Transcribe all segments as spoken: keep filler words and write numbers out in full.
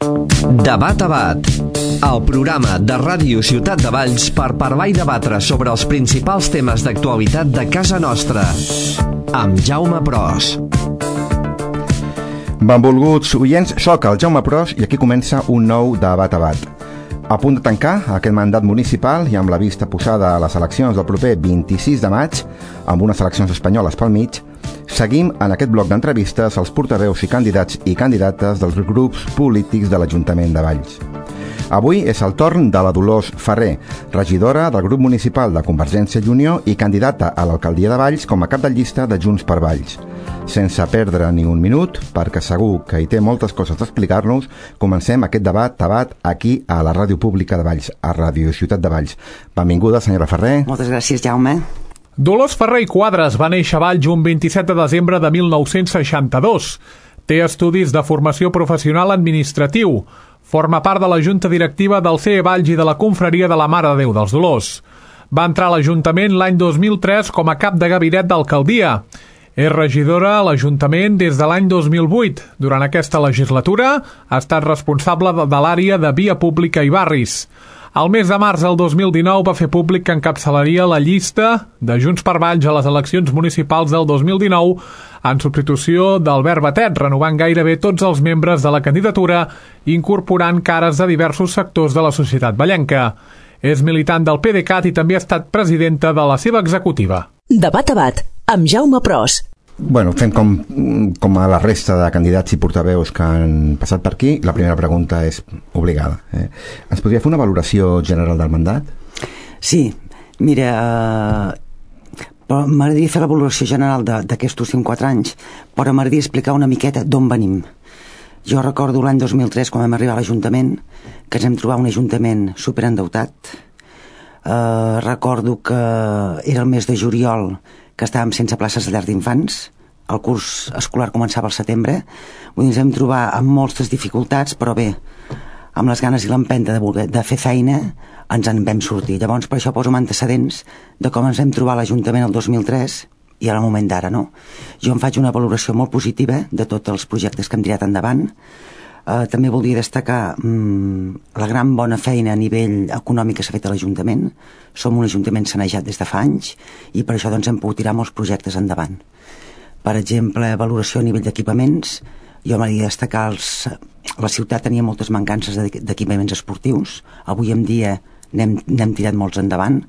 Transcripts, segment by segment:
Debat a Bat, el programa de Ràdio Ciutat de Valls per parlar i debatre sobre els principals temes d'actualitat de casa nostra, amb Jaume Pros. Benvolguts oients, soc el Jaume Pros i aquí comença un nou Debat a Bat. A punt de tancar aquest mandat municipal i amb la vista posada a les eleccions del proper vint-i-sis de maig, amb unes eleccions espanyoles pel mig, seguim en aquest bloc d'entrevistes als portaveus i candidats i candidates dels grups polítics de l'Ajuntament de Valls. Avui és el torn de la Dolors Ferrer, regidora del grup municipal de Convergència i Unió i candidata a l'alcaldia de Valls com a cap de llista de Junts per Valls. Sense perdre ni un minut, perquè segur que hi té moltes coses a explicar-nos, comencem aquest debat tabat aquí a la Ràdio Pública de Valls, a Ràdio Ciutat de Valls. Benvinguda, senyora Ferrer. Moltes gràcies, Jaume. Dolors Ferrer i Quadres va néixer a Valls un vint-i-set de desembre de mil nou-cents seixanta-dos. Té estudis de formació professional administratiu. Forma part de la junta directiva del C E Valls i de la confraria de la Mare de Déu dels Dolors. Va entrar a l'Ajuntament l'any dos mil tres com a cap de gabinet d'alcaldia. És regidora a l'Ajuntament des de l'any dos mil vuit. Durant aquesta legislatura ha estat responsable de, de l'àrea de via pública i barris. Al mes de març del dos mil dinou va fer públic que encapçalaria la llista de Junts per Valls a les eleccions municipals del dos mil dinou en substitució d'Albert Batet, renovant gairebé tots els membres de la candidatura i incorporant cares de diversos sectors de la societat vallenca. És militant del P D C A T i també ha estat presidenta de la seva executiva. Debat a Bat, amb Jaume Pros. Bueno, fem com, com a la resta de candidats i portaveus que han passat per aquí. La primera pregunta és obligada. Eh? Ens podria fer una valoració general del mandat? Sí, mira, eh, m'agradaria fer la valoració general d'aquests últims quatre anys, però m'agradaria explicar una miqueta d'on venim. Jo recordo l'any dos mil tres, quan vam arribar a l'Ajuntament, que ens hem trobat un Ajuntament superendeutat. Eh, recordo que era el mes de juliol, que estàvem sense places de llar d'infants. El curs escolar començava al setembre. Vull dir, ens vam trobar amb moltes dificultats, però bé, amb les ganes i l'empenta de, voler, de fer feina, ens en vam sortir. Llavors, per això poso antecedents de com ens vam trobar a l'Ajuntament el dos mil tres i al moment d'ara, no? Jo em faig una valoració molt positiva de tots els projectes que hem tirat endavant. Uh, també voldria destacar um, la gran bona feina a nivell econòmic que s'ha fet a l'Ajuntament. Som un Ajuntament sanejat des de fa anys i per això doncs, hem pogut tirar molts projectes endavant. Per exemple, valoració a nivell d'equipaments. Jo m'agradaria destacar els, la ciutat tenia moltes mancances d'equipaments esportius. Avui en dia n'hem, n'hem tirat molts endavant,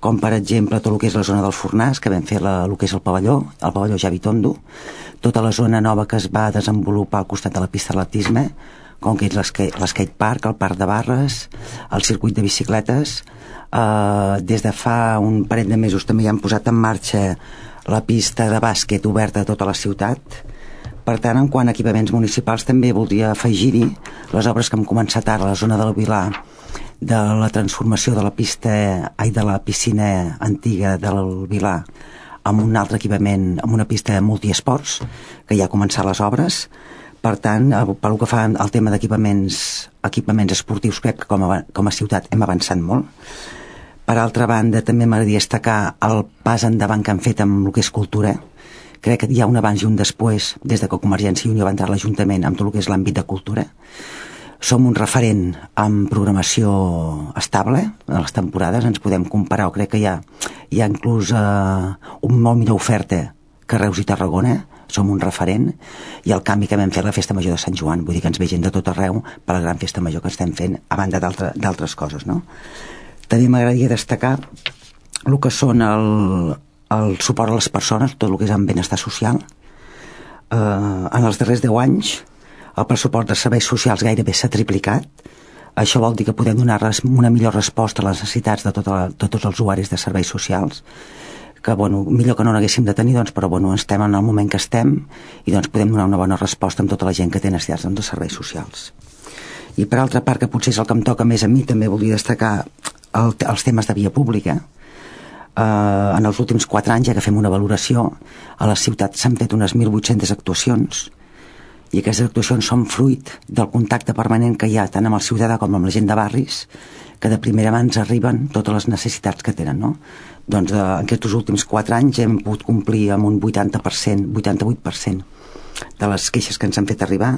com per exemple tot el que és la zona del Fornàs, que vam fer la, el que és el pavelló, el pavelló Javi Tondo, tota la zona nova que es va desenvolupar al costat de la pista d'atletisme, com que és l'skate park, el parc de barres, el circuit de bicicletes. Uh, des de fa un parell de mesos també ja han posat en marxa la pista de bàsquet oberta a tota la ciutat. Per tant, en quant a equipaments municipals, també voldria afegir-hi les obres que hem començat ara a la zona del Vilar, de la transformació de la pista, ai, de la piscina antiga del Vilar amb un altre equipament, amb una pista de multiesports, que ja ha començat les obres. Per tant, pel que fa al tema d'equipaments equipaments esportius, crec que com a, com a ciutat hem avançat molt. Per altra banda, també m'agradaria destacar el pas endavant que han fet amb el que és cultura. Crec que hi ha un abans i un després, des de que Convergència i Unió va entrar a l'Ajuntament amb tot el que és l'àmbit de cultura. Som un referent en programació estable a les temporades, ens podem comparar, o crec que hi ha, hi ha inclús eh, un molt millor oferta que Reus i Tarragona, som un referent, i el canvi que vam fer a la Festa Major de Sant Joan, vull dir que ens ve gent de tot arreu per la gran Festa Major que estem fent, a banda d'altres coses, no? També m'agradaria destacar el que són el, el suport a les persones, tot el que és en benestar social. Eh, en els darrers deu anys el pressupost de serveis socials gairebé s'ha triplicat. Això vol dir que podem donar una millor resposta a les necessitats de, tota la, de tots els usuaris de serveis socials, que bueno, millor que no n'haguéssim de tenir, doncs, però bueno, estem en el moment que estem i doncs podem donar una bona resposta amb tota la gent que té necessitats de serveis socials. I per altra part, que potser és el que em toca més a mi, també voldria destacar el, els temes de via pública. Uh, en els últims quatre anys, ja que fem una valoració, a la ciutat s'han fet unes mil vuit-centes actuacions, i aquestes actuacions són fruit del contacte permanent que hi ha tant amb el ciutadà com amb la gent de barris, que de primera mà ens arriben totes les necessitats que tenen, no? Doncs eh, en aquests últims quatre anys hem pogut complir amb un vuitanta per cent, vuitanta-vuit per cent de les queixes que ens han fet arribar.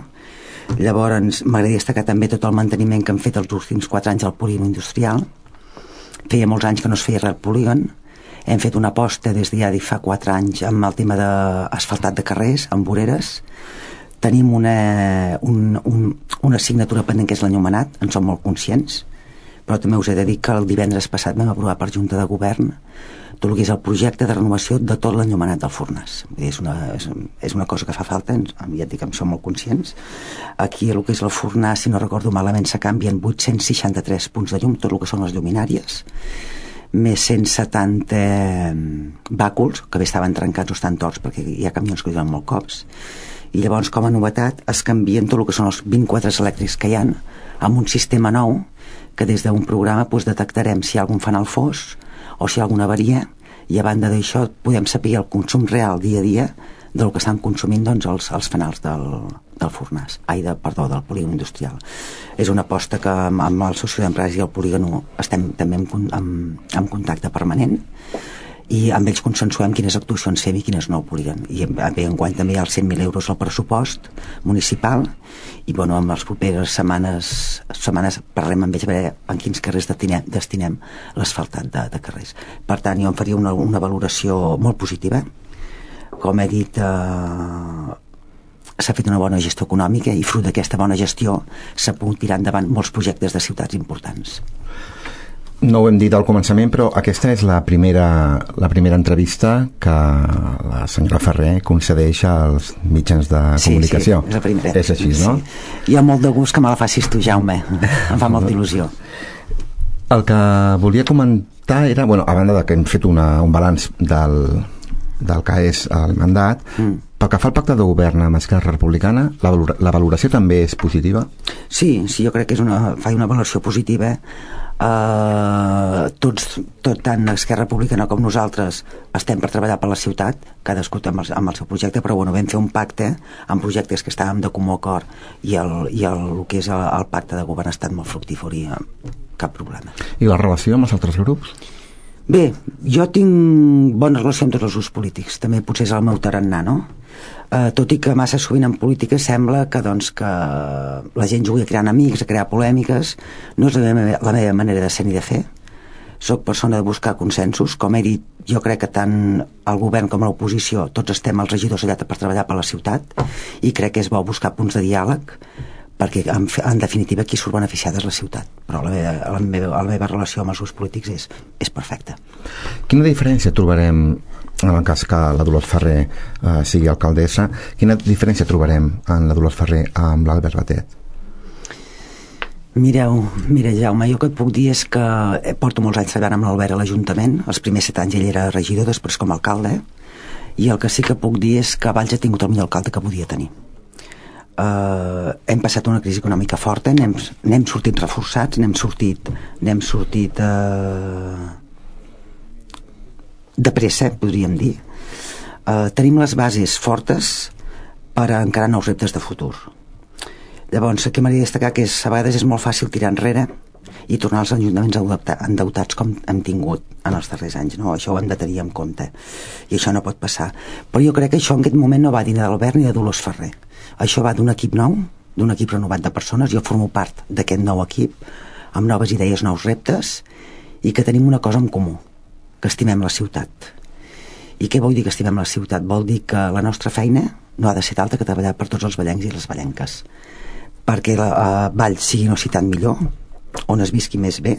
Llavors m'agradaria destacar també tot el manteniment que hem fet els últims quatre anys al polígon industrial. Feia molts anys que no es feia res al polígon. Hem fet una aposta des de ja de fa quatre anys amb el tema d'asfaltat de carrers, amb voreres. Tenim una, un, un, una assignatura pendent que és l'enllumenat, en som molt conscients, però també us he de dir que el divendres passat vam aprovar per Junta de Govern tot el que és el projecte de renovació de tot l'enllumenat del Fornàs. És una, és, és una cosa que fa falta, ja et dic que en som molt conscients. Aquí el que és el Fornàs, si no recordo malament, se canvien vuit-cents seixanta-tres punts de llum, tot el que són les lluminàries, més cent setanta bàculs, que bé estaven trencats o estan torts perquè hi ha camions que diuen molt cops, i llavors com a novetat es canvien tot el que són els vint quadres elèctrics que hi ha amb un sistema nou que des d'un programa doncs, detectarem si hi ha algun fanal fos o si hi ha alguna avaria, i a banda d'això podem saber el consum real dia a dia del que estan consumint doncs, els, els fanals del, del Fornàs, ai, de, perdó, del polígon industrial. És una aposta que amb, amb el soci d'empresa i el polígon estem també en, en, en contacte permanent, i amb ells consensuem quines actuacions fem i quines no polígon. I bé, enguany també hi ha els cent mil euros al pressupost municipal, i bueno, en les properes setmanes, setmanes parlem amb ells a veure en quins carrers destinem, destinem l'asfaltat de, de carrers. Per tant, jo em faria una, una valoració molt positiva. Com he dit, eh, s'ha fet una bona gestió econòmica, i fruit d'aquesta bona gestió s'ha pogut tirar endavant molts projectes de ciutats importants. No ho hem dit al començament, però aquesta és la primera, la primera entrevista que la senyora Ferrer concedeix als mitjans de comunicació. Sí, sí, és la primera. És així, no? Sí. Hi ha molt de gust que me la facis tu, Jaume. Em fa molta il·lusió. El que volia comentar era, bueno, a banda de que hem fet una, un balanç del, del que és el mandat, mm. pel que fa al pacte de govern amb Esquerra Republicana, la, valora, la valoració també és positiva? Sí, sí, jo crec que és una, fa una valoració positiva. Uh, tots, tot tant Esquerra Republicana com nosaltres estem per treballar per la ciutat, cadascú amb el, amb el seu projecte, però bueno, vam fer un pacte amb projectes que estàvem de comú acord, i el, i el, el que és el, el pacte de govern ha estat molt fructífer i cap problema. I la relació amb els altres grups? Bé, jo tinc bona relació amb tots els grups polítics, també potser és el meu tarannà, no? Uh, tot i que massa sovint en política sembla que, doncs, que la gent jugui a crear enemics, a crear polèmiques. No és la meva, la meva manera de ser ni de fer. Soc persona de buscar consensos. Com he dit, jo crec que tant el govern com l'oposició tots estem els regidors allà per treballar per la ciutat, i crec que és bo buscar punts de diàleg, perquè en, en definitiva qui surt beneficiat és la ciutat. Però la meva, la meva, la meva relació amb els grups polítics és, és perfecta. Quina diferència trobarem en el cas que la Dolors Ferrer eh, sigui alcaldessa? Quina diferència trobarem en la Dolors Ferrer amb l'Albert Batet? Mireu, mira, Jaume, jo que et puc dir és que porto molts anys treballant amb l'Albert a l'Ajuntament. Els primers set anys ell era regidor, després com a alcalde, i el que sí que puc dir és que Valls ha tingut el millor alcalde que podia tenir. Uh, hem passat una crisi econòmica forta, n'hem, n'hem sortit reforçats, n'hem sortit n'hem sortit uh, de pressa, podríem dir. Uh, tenim les bases fortes per encarar nous reptes de futur. Llavors, aquí m'hauria de destacar que és, a vegades és molt fàcil tirar enrere i tornar als ajuntaments endeutats com hem tingut en els darrers anys, no? Això ho hem de tenir en compte, i això no pot passar. Però jo crec que això en aquest moment no va dir ni d'Albert ni de Dolors Ferrer. Això va d'un equip nou, d'un equip renovat de persones. Jo formo part d'aquest nou equip, amb noves idees, nous reptes, i que tenim una cosa en comú, que estimem la ciutat. I què vol dir que estimem la ciutat? Vol dir que la nostra feina no ha de ser altra que treballar per tots els vallencs i les vallenques, perquè la uh, Valls sigui una ciutat millor, on es visqui més bé.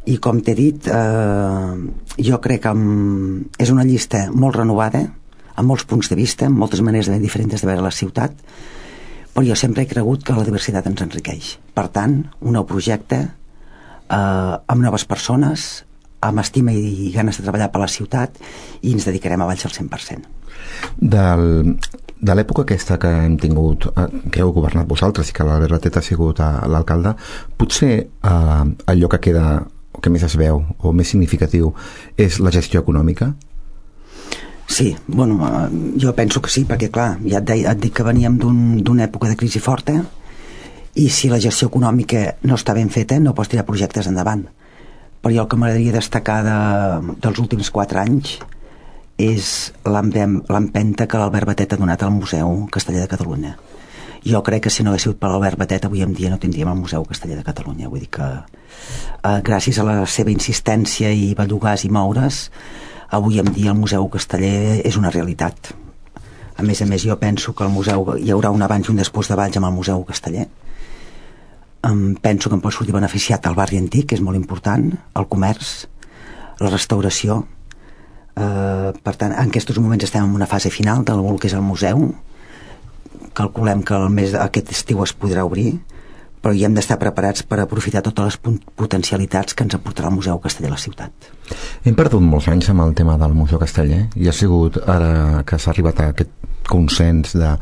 I com t'he dit, eh, jo crec que um, és una llista molt renovada, amb molts punts de vista, amb moltes maneres ben diferents de veure la ciutat, però jo sempre he cregut que la diversitat ens enriqueix. Per tant, un nou projecte eh, amb noves persones, amb estima i ganes de treballar per la ciutat, i ens dedicarem a Valls al cent per cent. Del, de l'època aquesta que hem tingut, eh, que heu governat vosaltres i que l'Albert Batet ha sigut eh, l'alcalde, potser eh, allò que queda, o que més es veu, o més significatiu, és la gestió econòmica? Sí, bueno, jo penso que sí, perquè clar, ja et, deia, et dic que veníem d'un, d'una època de crisi forta, i si la gestió econòmica no està ben feta no pots tirar projectes endavant. Però jo el que m'agradaria destacar de, dels últims quatre anys és l'empenta que l'Albert Batet ha donat al Museu Casteller de Catalunya. Jo crec que si no hagués sigut per l'Albert Batet avui en dia no tindríem el Museu Casteller de Catalunya. Vull dir que eh, gràcies a la seva insistència i bellugar i moure's, avui en dia el Museu Casteller és una realitat. A més a més, jo penso que el museu hi haurà un abans i un després de Valls amb el Museu Casteller. Um, penso que em pot sortir beneficiat el barri antic, que és molt important, el comerç, la restauració. Uh, per tant, en aquests moments estem en una fase final del que és el museu. Calculem que el mes aquest estiu es podrà obrir, però hi hem d'estar preparats per aprofitar totes les potencialitats que ens aportarà el Museu Casteller a la ciutat. Hem perdut molts anys amb el tema del Museu Casteller i ha sigut ara que s'ha arribat a aquest consens de...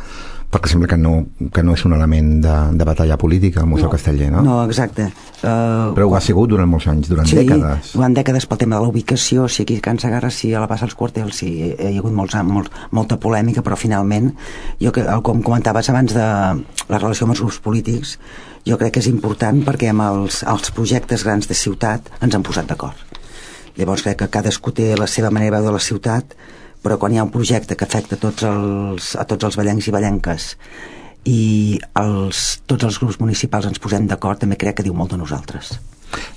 perquè sembla que no, que no és un element de, de batalla política el Museu no, Casteller, no? No, exacte. Uh, Però ho ha sigut durant molts anys, durant sí, dècades. Sí, durant dècades pel tema de la ubicació, sí, aquí a Can Segarra, sí, a la plaça dels Quartels, sí, hi ha hagut molts, molt, molta polèmica, però finalment, jo, com comentaves abans de la relació amb els grups polítics, jo crec que és important perquè amb els, els projectes grans de ciutat ens han posat d'acord. Llavors crec que cadascú té la seva manera de veure la ciutat, però quan hi ha un projecte que afecta tots els, a tots els vallencs i vallenques i els, tots els grups municipals ens posem d'acord, també crec que diu molt de nosaltres.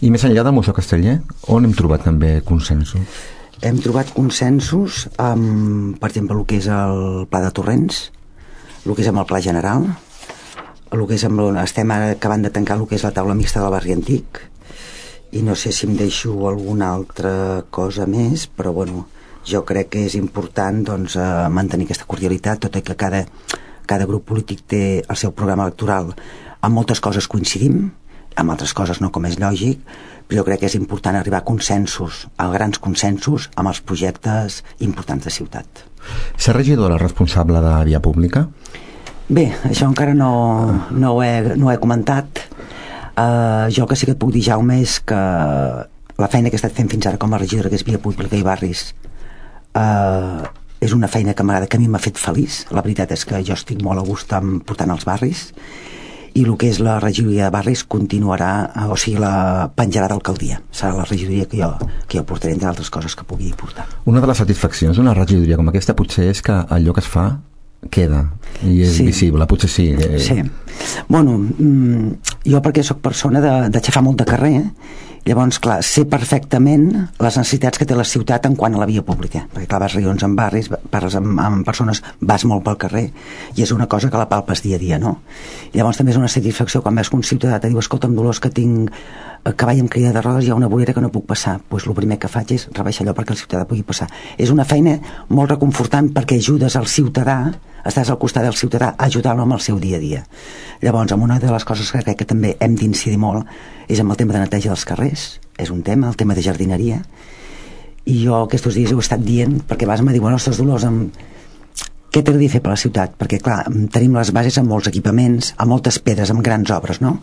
I més enllà del Museu Casteller, on hem trobat també consensos? Hem trobat consensos amb, per exemple, el que és el Pla de Torrents, el que és amb el Pla General, el que és amb, estem ara acabant de tancar el que és la taula mixta del barri antic, i no sé si em deixo alguna altra cosa més, però bueno, jo crec que és important doncs, eh, mantenir aquesta cordialitat, tot i que cada, cada grup polític té el seu programa electoral. En moltes coses coincidim, en altres coses no, com és lògic, però jo crec que és important arribar a consensos, a grans consensos, amb els projectes importants de ciutat. Ser regidora responsable de via pública? Bé, això encara no, no, ho, he, no ho he comentat. Uh, jo el que sí que et puc dir, Jaume, és que la feina que he estat fent fins ara com a regidora, que és via pública i barris, Uh, és una feina que m'agrada, que a mi m'ha fet feliç. La veritat és que jo estic molt a gust amb portant els barris, i el que és la regidoria de barris continuarà, uh, o sigui, la penjarà d'alcaldia. Serà la regidoria que jo, que jo portaré, entre altres coses que pugui portar. Una de les satisfaccions d'una regidoria com aquesta potser és que allò que es fa queda i és sí. visible, potser sí. Eh... Sí. Bueno, jo perquè sóc persona de, de xafar molt de carrer, eh? Llavors, clar, sé perfectament les necessitats que té la ciutat en quant a la via pública, perquè clar, vas reunions en barris, parles amb, amb persones, vas molt pel carrer, i és una cosa que la palpes dia a dia, no? Llavors també és una satisfacció quan veus que un ciutadà te diu, escolta'm, Dolors, que tinc cavall amb crida de rodes, hi ha una vorera que no puc passar. Doncs pues el primer que faig és rebaixar allò perquè el ciutadà pugui passar. És una feina molt reconfortant perquè ajudes al ciutadà, estàs al costat del ciutadà, ajudant-lo amb el seu dia a dia. Llavors, amb una de les coses que crec que també hem d'incidir molt és amb el tema de neteja dels carrers, és un tema, el tema de jardineria, i jo aquests dies ho he estat dient perquè vas me dir, bueno, ostres, Dolors, amb... què t'agradaria fer per la ciutat? Perquè, clar, tenim les bases amb molts equipaments, amb moltes pedres, amb grans obres, no?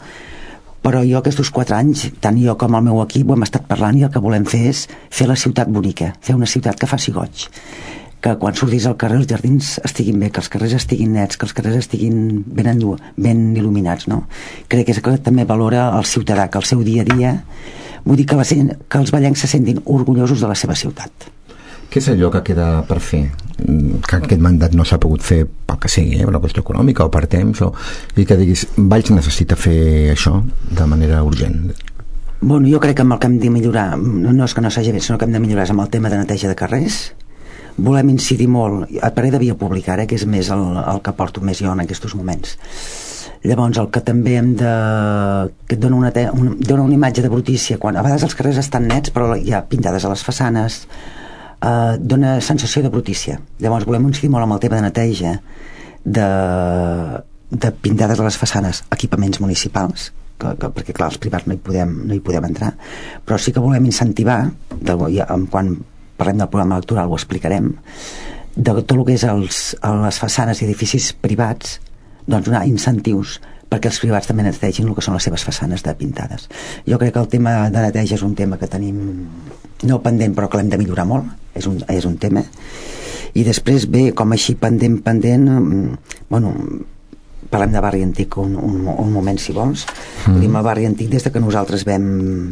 Però jo aquests quatre anys, tant jo com el meu equip, ho hem estat parlant i el que volem fer és fer la ciutat bonica, fer una ciutat que faci goig, que quan sortis al carrer els jardins estiguin bé, que els carrers estiguin nets, que els carrers estiguin ben, endu- ben il·luminats, no? Crec que és que també valora el ciutadà, que el seu dia a dia, vull dir que, la, que els vallencs se sentin orgullosos de la seva ciutat. Què és allò que queda per fer? Que aquest mandat no s'ha pogut fer pel que sigui, eh? Per la qüestió econòmica o per temps, o... i que diguis, Valls necessita fer això de manera urgent. Bueno, jo crec que amb el que hem de millorar, no és que no s'hagi fet, sinó que hem de millorar amb el tema de neteja de carrers. Volem incidir molt, a parer de via pública, ara, que és més el, el que porto més jo en aquests moments. Llavors, el que també hem de... que et dona una, te... una, dona una imatge de brutícia, quan a vegades els carrers estan nets, però hi ha pintades a les façanes, Uh, dona sensació de brutícia. Llavors volem incidir molt amb el tema de neteja de, de pintades a les façanes, equipaments municipals, que, que, perquè clar, els privats no hi podem, no hi podem entrar, però sí que volem incentivar, de, ja, quan parlem del programa electoral ho explicarem, de tot el que és els, les façanes i edificis privats, doncs donar incentius perquè els privats també netegin el que són les seves façanes de pintades. Jo crec que el tema de neteja és un tema que tenim no pendent, però que l'hem de millorar molt, és un, és un tema. I després, bé, com així pendent, pendent, bueno, parlem de barri antic un, un, un moment, si vols. Mm. Tenim el barri antic des de que nosaltres vam,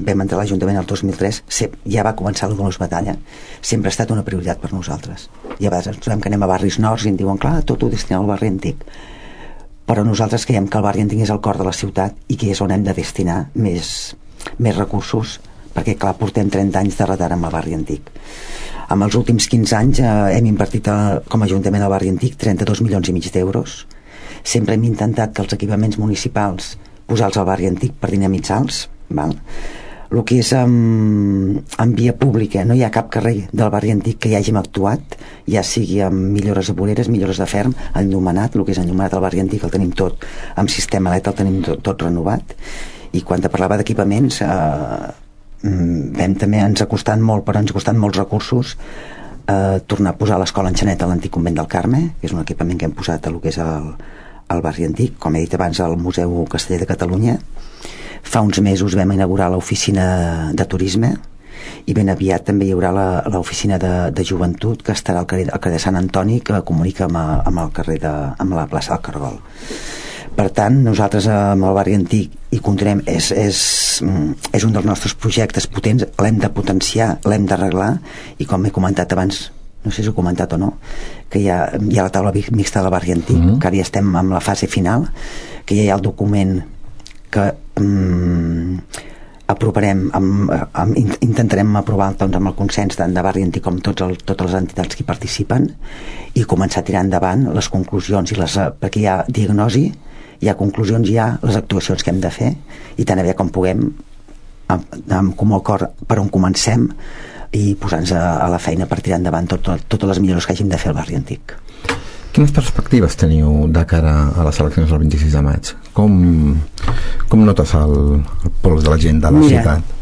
vam entrar a l'Ajuntament el dos mil tres, ja va començar la Dolors Batalla, sempre ha estat una prioritat per nosaltres. I a vegades ens trobem que anem a barris nords i ens diuen, clar, tot ho destinem al barri antic. però nosaltres creiem que el barri antic és el cor de la ciutat i que és on hem de destinar més, més recursos, perquè clar, portem trenta anys de retard amb el barri antic. En els últims quinze anys eh, hem invertit a, com a Ajuntament al barri antic trenta-dos milions i mig d'euros. Sempre hem intentat que els equipaments municipals posar-los al barri antic per dinamitzar-los, val? El que és en, en via pública, no hi ha cap carrer del barri antic que hi hàgim actuat, ja sigui amb millores de voreres, millores de ferm, enllumenat, el que és enllumenat al barri antic el tenim tot amb sistema E L E D, el tenim tot, tot renovat. I quan te parlava d'equipaments eh, vam també, ens ha costat molt, però ens ha costat molts recursos eh, tornar a posar l'escola Enxaneta a l'antic convent del Carme, que és un equipament que hem posat a el que és el, el barri antic, com he dit abans, al Museu Casteller de Catalunya. Fa uns mesos vam inaugurar l'oficina de turisme i ben aviat també hi haurà l'oficina de, de joventut que estarà al carrer, al carrer de Sant Antoni, que comunica amb, a, amb el carrer de, amb la plaça del Cargol. Per tant, nosaltres amb el barri antic hi continuem, és, és, és un dels nostres projectes potents, l'hem de potenciar, l'hem d'arreglar, i com he comentat abans, no sé si ho he comentat o no, que hi ha, hi ha la taula mixta del barri antic, mm-hmm. que ara ja estem en la fase final, que ja hi ha el document que um, aprovarem amb, amb, intentarem aprovar doncs, amb el consens tant de barri antic com tots el, totes les entitats que hi participen, i començar a tirar endavant les conclusions, i les, perquè hi ha diagnosi, hi ha conclusions, hi ha les actuacions que hem de fer, i tan aviat com puguem amb, amb comú acord per on comencem i posar-nos a, a la feina per tirar endavant tot, tot, totes les millores que hàgim de fer al barri antic. Quines perspectives teniu de cara a les eleccions del vint-i-sis de maig? Com, com notes el, el pols de la gent de la Mira, ciutat?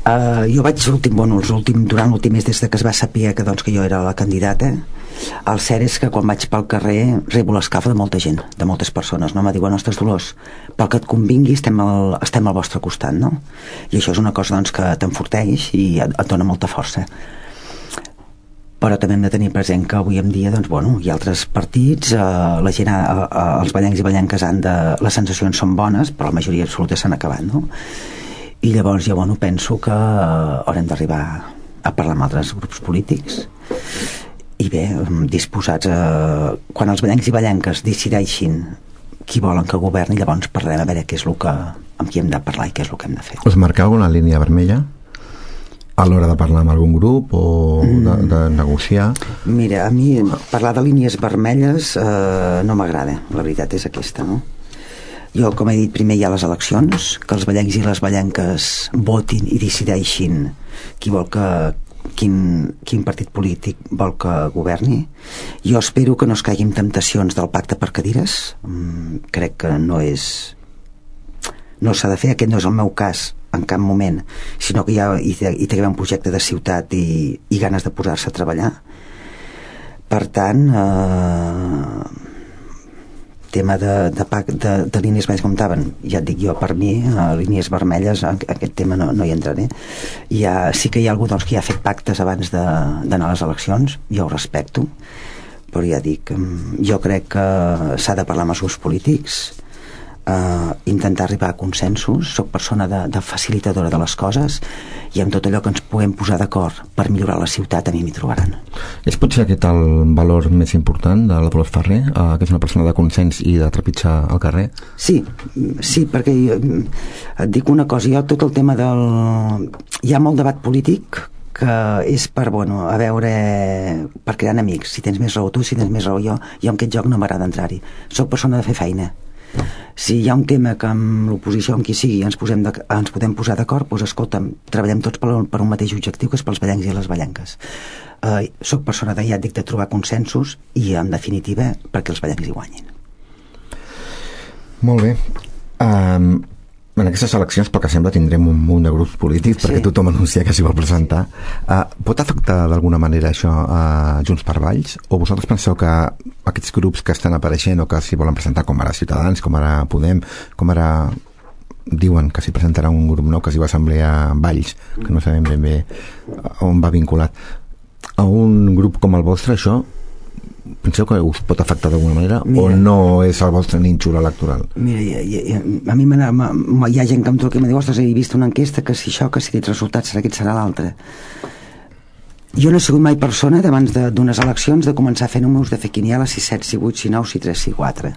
Uh, jo vaig l'últim, bueno, l'últim, durant l'últim mes des de que es va saber que, doncs, que jo era la candidata, el cert és que quan vaig pel carrer rebo l'escalfa de molta gent, de moltes persones, no? Me diuen, ostres, Dolors, pel que et convingui estem al, estem al vostre costat, no? I això és una cosa, doncs, que t'enforteix i et, et dona molta força. Però també hem de tenir present que avui en dia, doncs, bueno, hi ha altres partits, eh, la gent, eh, eh, els ballencs i ballenques han de, les sensacions són bones, però la majoria absoluta s'han acabat, no? I llavors jo, bueno, penso que eh, haurem d'arribar a parlar amb altres grups polítics i bé, disposats a, quan els ballencs i ballenques decideixin qui volen que governi, llavors parlarem a veure què és el que, amb qui hem de parlar i què és el que hem de fer. Us marqueu alguna línia vermella a l'hora de parlar amb algun grup o de, de negociar? Mira, a mi parlar de línies vermelles eh, no m'agrada, la veritat és aquesta, no? Jo, com he dit, primer hi ha les eleccions, que els ballencs i les ballenques votin i decideixin qui vol que, quin, quin partit polític vol que governi. Jo espero que no es caiguin temptacions del pacte per cadires, mm, crec que no és no s'ha de fer, aquest no és el meu cas en cap moment, sinó que hi ha hi, hi té un projecte de ciutat i, i ganes de posar-se a treballar. Per tant, eh, tema de, de, de, de línies vermelles, com estaven, ja et dic jo, per mi, eh, línies vermelles, aquest tema no, no hi entraré. Hi ha, sí que hi ha algú, doncs, que ja ha fet pactes abans d'anar a les eleccions, jo ho respecto, però ja dic, jo crec que s'ha de parlar amb els grups polítics, Uh, intentar arribar a consensos. Soc persona de, de facilitadora de les coses, i amb tot allò que ens puguem posar d'acord per millorar la ciutat, a mi m'hi trobaran. És potser aquest el valor més important de la Dolors Ferrer, uh, que és una persona de consens i de trepitjar al carrer? Sí, sí, perquè et dic una cosa, jo tot el tema del... hi ha molt debat polític que és per, bueno, a veure, per crear enemics, si tens més raó tu, si tens més raó jo. Jo en aquest joc no m'agrada entrar-hi, soc persona de fer feina. Si hi ha un tema que amb l'oposició, amb qui sigui, ens, posem de, ens podem posar d'acord, doncs escolta'm, treballem tots per, per un mateix objectiu, que és pels ballencs i les ballenques. Uh, soc persona de, ja dic, de trobar consensos i, en definitiva, perquè els ballencs hi guanyin. Molt bé. Um, en aquestes eleccions, pel que sembla, tindrem un munt de grups polítics, perquè sí, tothom anuncia que s'hi vol presentar. Uh, pot afectar d'alguna manera això a Junts per Valls? O vosaltres penseu que aquests grups que estan apareixent o que s'hi volen presentar, com ara Ciutadans, com ara Podem, com ara diuen que s'hi presentarà un grup nou que s'hi va assemblear a Valls, que no sabem ben bé on va vinculat, a un grup com el vostre, això penseu que us pot afectar d'alguna manera? Mira, o no és el vostre nínxol electoral? Mira, ja, ja, a mi hi ha gent que em truca i em diu, ostres, he vist una enquesta que si això, que si aquests resultats serà aquest, serà l'altre. Jo no he sigut mai persona d'abans d'unes eleccions de començar a fer números, de fer quinieles, si set, si vuit, si nou, si tres, si quatre.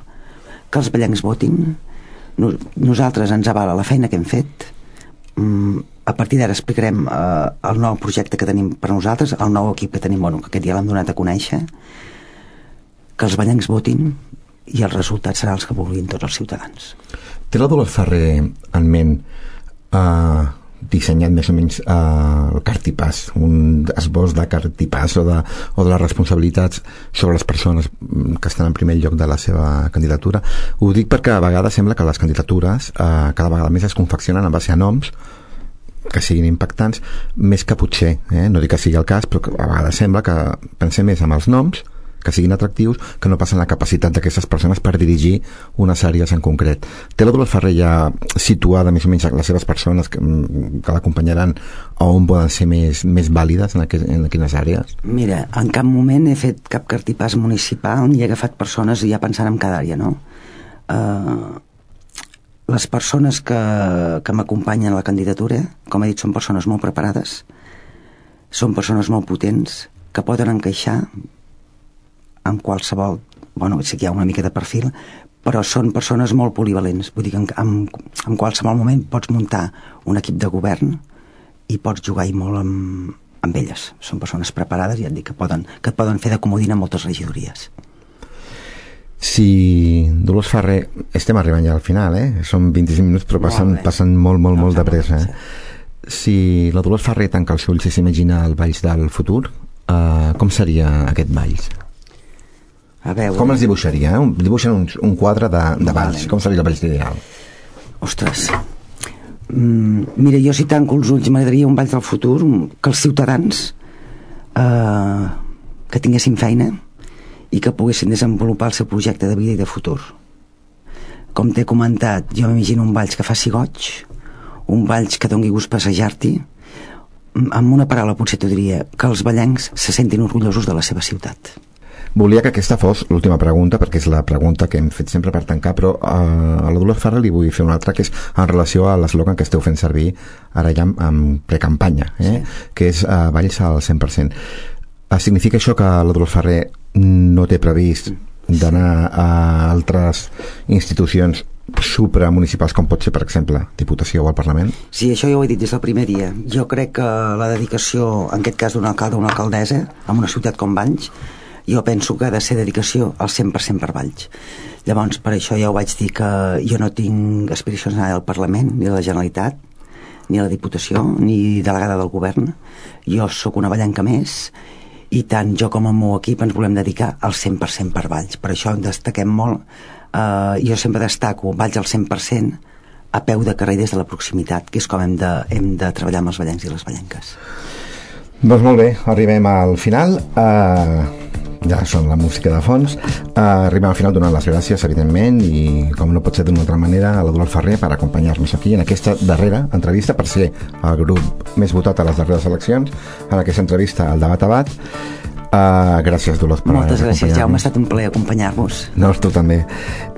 que els ballencs votin. Nos, nosaltres ens avala la feina que hem fet. Mm, a partir d'ara explicarem eh, el nou projecte que tenim per nosaltres, el nou equip que tenim, bueno, que aquest dia l'hem donat a conèixer, que els ballencs votin i els resultats seran els que vulguin tots els ciutadans. Té la Dolors Ferrer en ment eh, dissenyat més o menys eh, el cartipàs, un esbós de cartipàs o de, o de les responsabilitats sobre les persones que estan en primer lloc de la seva candidatura? Ho dic perquè a vegades sembla que les candidatures eh, cada vegada més es confeccionen en base a noms que siguin impactants, més que potser, eh? No dic que sigui el cas, però a vegades sembla que pensem més en els noms, que siguin atractius, que no passen la capacitat d'aquestes persones per dirigir unes àrees en concret. Té la Dolors Ferrer ja situada més o menys les seves persones que, que l'acompanyaran on poden ser més, més vàlides en, aqu en quines àrees? Mira, en cap moment he fet cap cartipàs municipal ni he agafat persones ja pensant en cada àrea, no? Uh, les persones que, que m'acompanyen a la candidatura, com he dit, són persones molt preparades, són persones molt potents, que poden encaixar en qualsevol, bueno, sí que hi ha una mica de perfil, però són persones molt polivalents. Vull dir que en, en, en qualsevol moment pots muntar un equip de govern i pots jugar i molt amb, amb elles. Són persones preparades i ja et dic que, poden, que et poden fer de comodina moltes regidories. Si Dolors Ferrer, estem arribant ja al final, eh? Són vint-i-cinc minuts però passen, passen molt, molt, no, molt de pressa, eh? Si la Dolors Ferrer tanca els ulls i s'imagina el Valls del futur, eh, com seria aquest Valls? A veure... Com els dibuixaria? Eh? Dibuixen un, un quadre de, de Valls. Vale. Com seria el Valls ideal? Ostres, mm, mira, jo si tanco els ulls m'agradaria un Valls del futur que els ciutadans eh, que tinguessin feina i que poguessin desenvolupar el seu projecte de vida i de futur. Com t'he comentat, jo m'imagino un Valls que faci goig, un Valls que doni gust passejar-t'hi. Amb una paraula potser t'ho diria, que els vallencs se sentin orgullosos de la seva ciutat. Volia que aquesta fos l'última pregunta, perquè és la pregunta que hem fet sempre per tancar, però uh, a la Dolors Ferrer li vull fer una altra, que és en relació a l'eslògan que esteu fent servir ara ja en, en precampanya, eh? Sí. Que és uh, Valls al cent per cent. Uh, significa això que la Dolors Ferrer no té previst d'anar a altres institucions supramunicipals, com pot ser, per exemple, Diputació o el Parlament? Sí, això ja ho he dit des del primer dia. Jo crec que la dedicació, en aquest cas d'un alcalde o una alcaldessa, en una ciutat com Valls, jo penso que ha de ser dedicació al cent per cent per Valls. Llavors, per això ja ho vaig dir que jo no tinc aspiracions a anar al Parlament, ni a la Generalitat, ni a la Diputació, ni delegada del govern. Jo sóc una vallenca més, i tant jo com el meu equip ens volem dedicar al cent per cent per Valls. Per això destaquem molt, eh, jo sempre destaco Valls al cent per cent a peu de carrer des de la proximitat, que és com hem de, hem de treballar amb els vallencs i les vallenques. Doncs molt bé, arribem al final. Uh... ja són la música de fons. Uh, arribem al final donant les gràcies, evidentment, i com no pot ser d'una altra manera, a la Dolors Ferrer per acompanyar-nos aquí en aquesta darrera entrevista, per ser el grup més votat a les darreres eleccions, en aquesta entrevista al Debat a Bat. Uh, gràcies, Dolors, per moltes gràcies, Jaume, ha estat un plaer acompanyar-vos. No, tu també.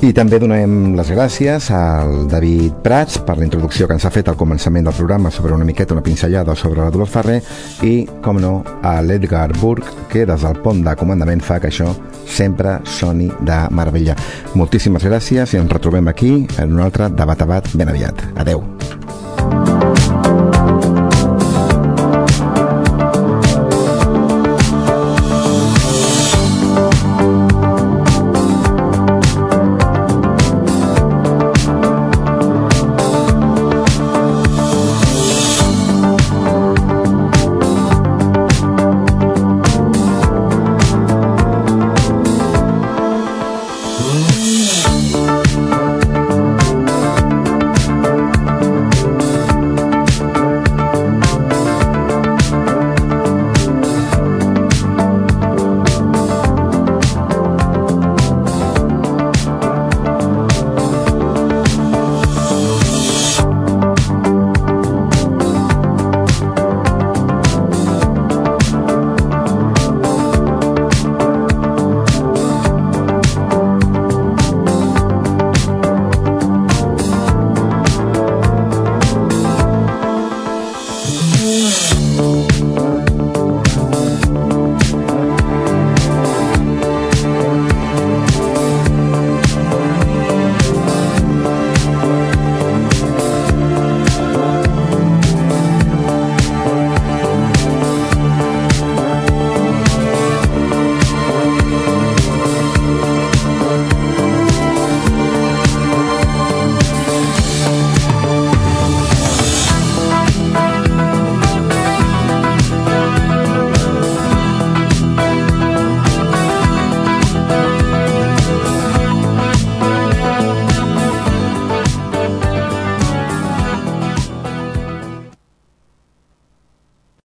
I també donem les gràcies al David Prats per la introducció que ens ha fet al començament del programa sobre una miqueta, una pinzellada sobre la Dolors Ferrer, i, com no, a l'Edgar Burg, que des del pont de comandament fa que això sempre soni de meravella. Moltíssimes gràcies i ens retrobem aquí en un altre Debat a Bat ben aviat. Adeu.